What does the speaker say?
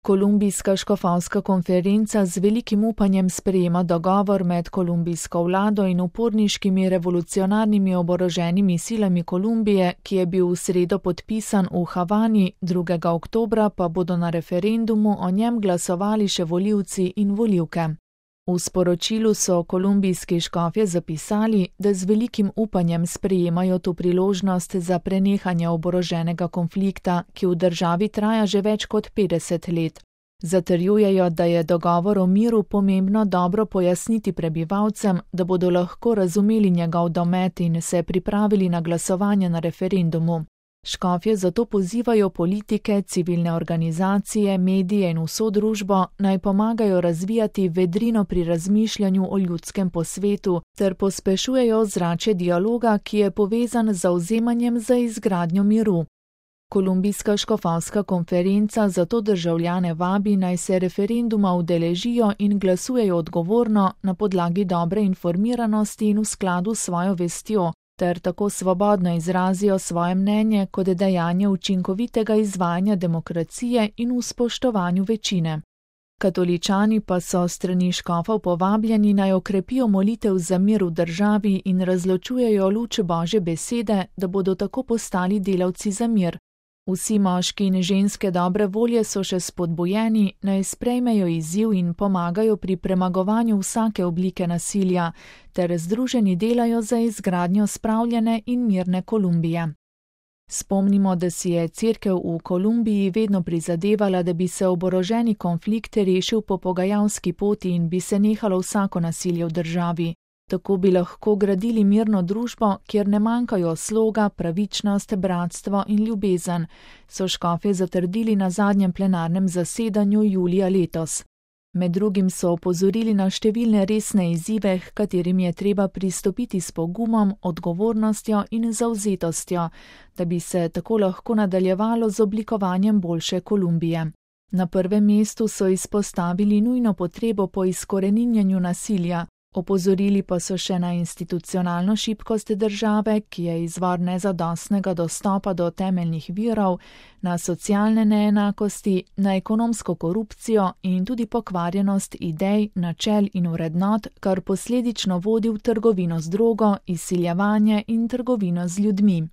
Kolumbijska škofovska konferenca z velikim upanjem sprejema dogovor med kolumbijsko vlado in uporniškimi revolucionarnimi oboroženimi silami Kolumbije, ki je bil v sredo podpisan v Havani, 2. oktobra pa bodo na referendumu o njem glasovali še volivci in volivke. V sporočilu so kolumbijski škofje zapisali, da z velikim upanjem sprejemajo to priložnost za prenehanje oboroženega konflikta, ki v državi traja že več kot 50 let. Zatrjujejo, da je dogovor o miru pomembno dobro pojasniti prebivalcem, da bodo lahko razumeli njegov domet in se pripravili na glasovanje na referendumu. Škofje zato pozivajo politike, civilne organizacije, medije in vso družbo, naj pomagajo razvijati vedrino pri razmišljanju o ljudskem posvetu ter pospešujejo ozračje dialoga, ki je povezan z zavzemanjem za izgradnjo miru. Kolumbijska škofovska konferenca zato državljane vabi, naj se referenduma udeležijo in glasujejo odgovorno, na podlagi dobre informiranosti in v skladu s svojo vestjo, ter tako svobodno izrazijo svoje mnenje kot dejanje učinkovitega izvajanja demokracije in v spoštovanju večine. Katoličani pa so strani škofov povabljeni, naj okrepijo molitev za mir v državi in razločujejo luč Božje besede, da bodo tako postali delavci za mir. Vsi moški in ženske dobre volje so še spodbujeni, naj sprejmejo izziv in pomagajo pri premagovanju vsake oblike nasilja, ter združeni delajo za izgradnjo spravljene in mirne Kolumbije. Spomnimo, da si je cerkev v Kolumbiji vedno prizadevala, da bi se oboroženi konflikt rešil po pogajalski poti in bi se nehalo vsako nasilje v državi. Tako bi lahko gradili mirno družbo, kjer ne manjkajo sloga, pravičnost, bratstvo in ljubezen, so škofje zatrdili na zadnjem plenarnem zasedanju julija letos. Med drugim so opozorili na številne resne izzive, h katerim je treba pristopiti s pogumom, odgovornostjo in zavzetostjo, da bi se tako lahko nadaljevalo z oblikovanjem boljše Kolumbije. Na prvem mestu so izpostavili nujno potrebo po izkoreninjenju nasilja. Opozorili pa so še na institucionalno šibkost države, ki je izvor nezadostnega dostopa do temeljnih virov, na socialne neenakosti, na ekonomsko korupcijo in tudi pokvarjenost idej, načel in vrednot, kar posledično vodi v trgovino z drogo, izsiljevanje in trgovino z ljudmi.